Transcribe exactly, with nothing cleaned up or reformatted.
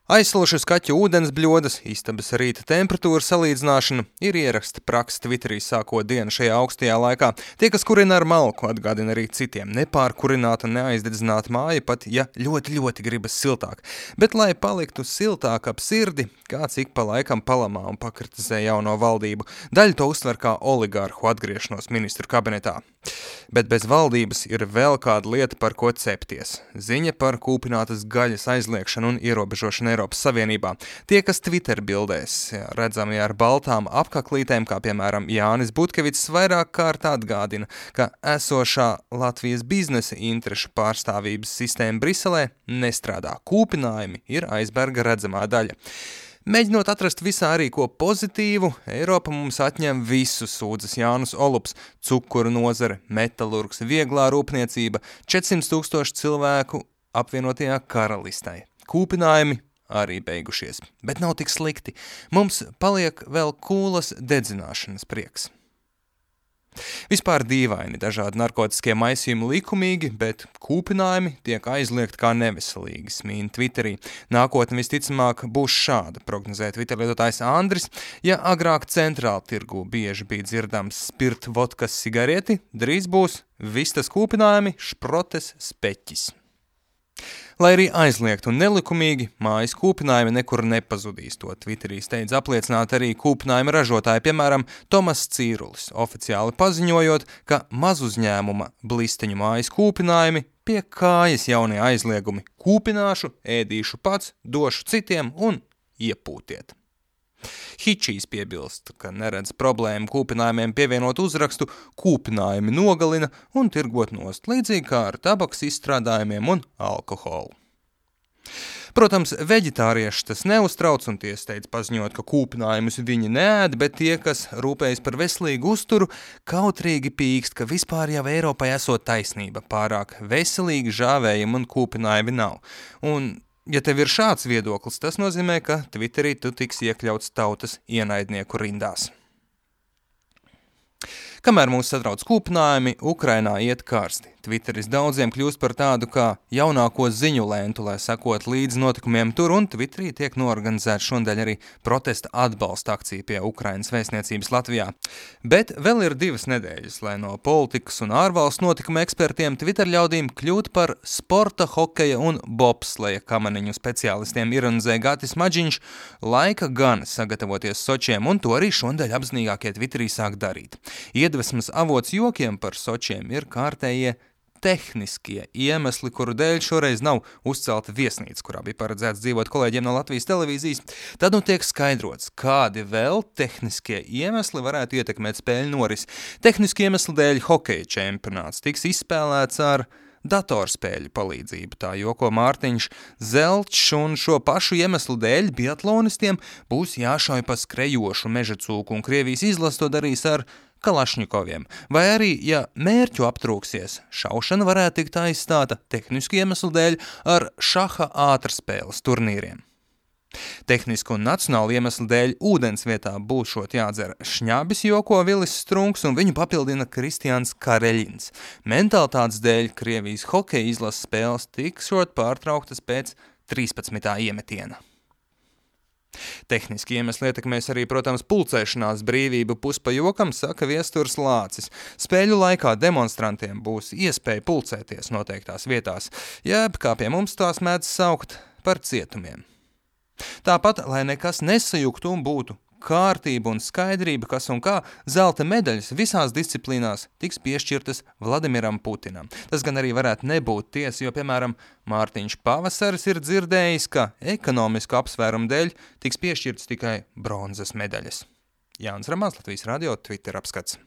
Aizsalušas kaķu ūdens bļodas, istabas rīta temperatūra salīdzināšana ir ieraksta praksa Twitterī sākot dienu šajā augstajā laikā. Tie, kas kurina ar malku, atgādina arī citiem nepārkurināta un neaizdedzināta māja, pat ja ļoti, ļoti gribas siltāk. Bet, lai paliktu siltāk ap sirdi, kāds ik pa laikam palamā un pakritizē jauno valdību. Daļa to uztver kā oligārhu atgriešanos ministru kabinetā. Bet bez valdības ir vēl kāda lieta, par ko cepties. Ziņa par kūpinātas gaļas aizliekšanu un ierobežošanu Eiropas Savienībā. Tie, kas Twitter bildēs, redzami ar baltām apkaklītēm, kā piemēram Jānis Butkevits, vairāk kārt atgādina, ka esošā Latvijas biznesa interešu pārstāvības sistēma Briselē nestrādā. Kūpinājumi ir aizberga redzamā daļa. Mēģinot atrast visā arī ko pozitīvu, Eiropa mums atņem visu, sūdzas Jānis Olups, cukuru nozare, metalurgs, vieglā rūpniecība, četrsimt tūkstoši cilvēku apvienotajā karalistē. Kūpinājumi arī beigušies, bet nav tik slikti. Mums paliek vēl kūlas dedzināšanas prieks. Vispār dīvaini dažādi narkotiskie maisījumi likumīgi, bet kūpinājumi tiek aizliegti kā neveselīgi, smīna Twitterī. Nākotne visticamāk būs šāda, prognozē Twitter lietotājs Andris. Ja agrāk centrāla tirgū bieži bija dzirdams spirt vodkas sigarieti, drīz būs vistas kūpinājumi, šprotes, speķis. Lai arī aizliegt un nelikumīgi, mājas kūpinājumi nekur nepazudīs. To Twitterī steidz apliecināt arī kūpinājuma ražotāji, piemēram, Tomas Cīrulis, oficiāli paziņojot, ka mazuzņēmuma blisteņu mājas kūpinājumi pie kājas jaunie aizliegumi. Kūpināšu, ēdīšu pats, došu citiem un iepūtiet. Hičijs piebilst, ka neredz problēmu kūpinājumiem pievienot uzrakstu kūpinājumi nogalina un tirgot nost, līdzīgi kā ar tabaks izstrādājumiem un alkoholu. Protams, veģetārieši tas neuztrauc un tie steidz paziņot, ka kūpinājumus viņi neēd, bet tie, kas rūpējas par veselīgu uzturu, kautrīgi pīkst, ka vispār jau Eiropai esot taisnība, pārāk veselīgi žāvējumi un kūpinājumi nav. Un ja tev ir šāds viedoklis, tas nozīmē, ka Twitterī tu tiks iekļauts tautas ienaidnieku rindās. Kamēr mūs satrauc kūpinājumi, Ukrainā iet karsti. Twitteris daudziem kļūst par tādu kā jaunāko ziņu lentu, lai sekot līdz notikumiem tur, un Twitterī tiek norganizēta šodien arī protesta atbalsta akcija pie Ukrainas vēstniecības Latvijā. Bet vēl ir divas nedēļas, lai no politikas un ārvalstu notikuma ekspertiem Twitter ļaudīm kļūt par sporta, hokeja un bobsleja kamaniņu speciālistiem ironizē Gatis Maģiņš, laika gan sagatavoties Sočiem, un to arī šodien apzinīgākie Twitterī sāk darīt. Iedvesmas avots jokiem par Sočiem ir kārtējie tehniskie iemesli, kuru dēļ šoreiz nav uzcelta viesnīca, kurā bija paredzēts dzīvot kolēģiem no Latvijas televīzijas. Tad nu tiek skaidrots, kādi vēl tehniskie iemesli varētu ietekmēt spēļu norisi. Tehniski iemesli dēļ hokeja čempionāts tiks izspēlēts ar datorspēļu palīdzību, tā joko Mārtiņš Zelčs, un šo pašu iemeslu dēļ biatlonistiem būs jāšauj pa skrejošu meža cūku, un Krievijas izlase to darīs ar Kalašņikoviem. Vai arī, ja mērķu aptrūksies, šaušana varētu tikt aizstāta tehnisku iemeslu dēļ ar šaha ātrspēles turnīriem. Tehnisku un nacionālu iemeslu dēļ ūdens vietā būšot jādzer šņabis, joko Vilis Strunks, un viņu papildina Kristiāns Kareļins. Mentalitātes dēļ Krievijas hokeja izlases spēles tikšot pārtrauktas pēc trīspadsmitā iemetiena. Tehniski iemesli ietekmēs arī, protams, pulcēšanās brīvību puspa jokam, saka Viesturs Lācis. Spēļu laikā demonstrantiem būs iespēja pulcēties noteiktās vietās, jeb, kā pie mums tās mēdz saukt, par cietumiem. Tāpat, lai nekas nesajuktu un būtu kārtība un skaidrība, kas un kā, zelta medaļas visās disciplīnās tiks piešķirtas Vladimiram Putinam. Tas gan arī varētu nebūt tiesa, jo, piemēram, Mārtiņš Pavasaris ir dzirdējis, ka ekonomisku apsvērumu dēļ tiks piešķirtas tikai bronzas medaļas. Jānis Ramāns, Latvijas radio, Twitter apskats.